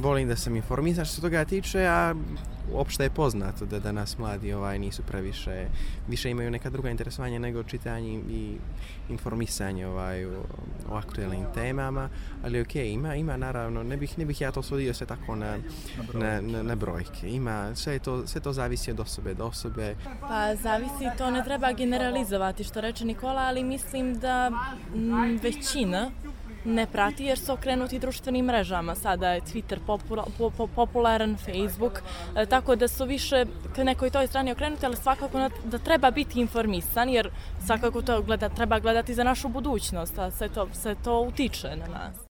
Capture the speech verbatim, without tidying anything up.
volim da sam informisan što se toga tiče, a uopšte je poznato da danas mladi ovaj, nisu previše, više imaju neka druga interesovanja nego čitanje i informisanje ovaj, o, o aktuelnim temama, ali ok, ima, ima naravno, ne bih, ne bih ja to svodio sve tako na, na, na, na brojke, ima, sve to, sve to zavisi od osobe do osobe. Pa zavisi, to ne treba generalizovati što reče Nikola, ali mislim da m, većina ne prati jer su okrenuti društvenim mrežama. Sada je Twitter popula, po, popularan, Facebook, e, tako da su više k nekoj toj strani okrenuti, ali svakako da treba biti informisan jer svakako to gleda, treba gledati za našu budućnost, a sve to, sve to utiče na nas.